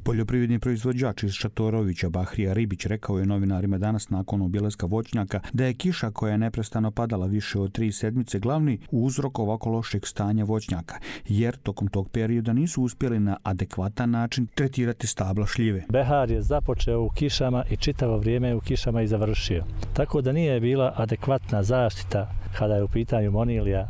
Poljoprivredni proizvođač iz Šatorovića Bahrija Ribić rekao je novinarima danas nakon obilaska voćnjaka da je kiša koja je neprestano padala više od 3 sedmice glavni uzrok ovako lošeg stanja voćnjaka, jer tokom tog perioda nisu uspjeli na adekvatan način tretirati stabla šljive. Behar je započeo u kišama i čitavo vrijeme u kišama i završio. Tako da nije bila adekvatna zaštita kada je u pitanju monilija.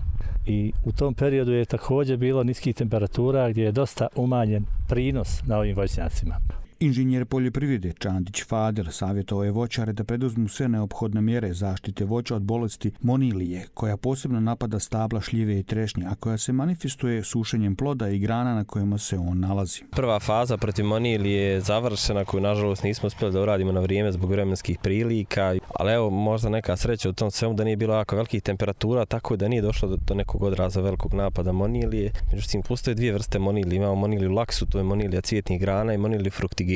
I u tom periodu je također bilo niskih temperatura gdje je dosta umanjen prinos na ovim voćnjacima. Inženjer poljoprivrede Čandić Fader savjetovao je voćare da preduzmu sve neophodne mjere zaštite voća od bolesti monilije, koja posebno napada stabla šljive i trešnje, a koja se manifestuje sušenjem ploda i grana na kojima se on nalazi. Prva faza protiv monilije je završena, koju nažalost nismo uspjeli da uradimo na vrijeme zbog vremenskih prilika, ali evo možda neka sreća u tom svemu da nije bilo jako velikih temperatura, tako da nije došlo do nekog odraza velikog napada monilije. Međutim, postoje dvije vrste monilije. Imamo moniliju laksu, to je monilija cvjetnih grana, i moniliju fruktigenu,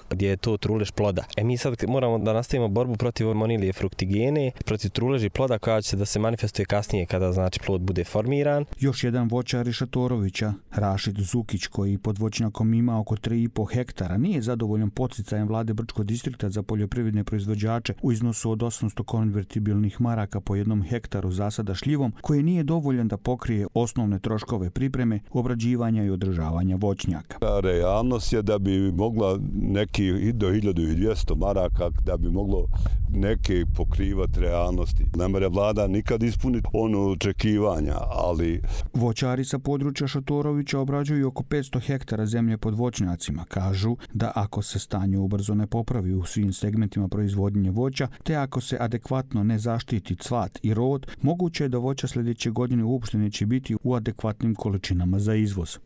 gdje je to trulež ploda. Mi sad moramo da nastavimo borbu protiv monilije fruktigene, protiv truleži ploda koja će da se manifestuje kasnije kada znači plod bude formiran. Još jedan voćar iz Šatorovića, Rašid Zukić, koji pod voćnjakom ima oko 3,5 hektara, nije zadovoljan podsticajem vlade Brčkog distrikta za poljoprivredne proizvođače u iznosu od 800 konvertibilnih maraka po jednom hektaru zasada šljivom, koji nije dovoljan da pokrije osnovne troškove pripreme, obrađivanja i održavanja voćnjaka. Realnost je da bi mogla neki do 1200 maraka da bi moglo neke pokrivati realnosti. Ne može vlada nikad ispuniti ono očekivanja, ali... Voćari sa područja Šatorovića obrađuju oko 500 hektara zemlje pod voćnjacima. Kažu da ako se stanje ubrzo ne popravi u svim segmentima proizvodnje voća, te ako se adekvatno ne zaštiti cvat i rod, moguće je da voća sljedeće godine uopšte neće biti u adekvatnim količinama za izvoz.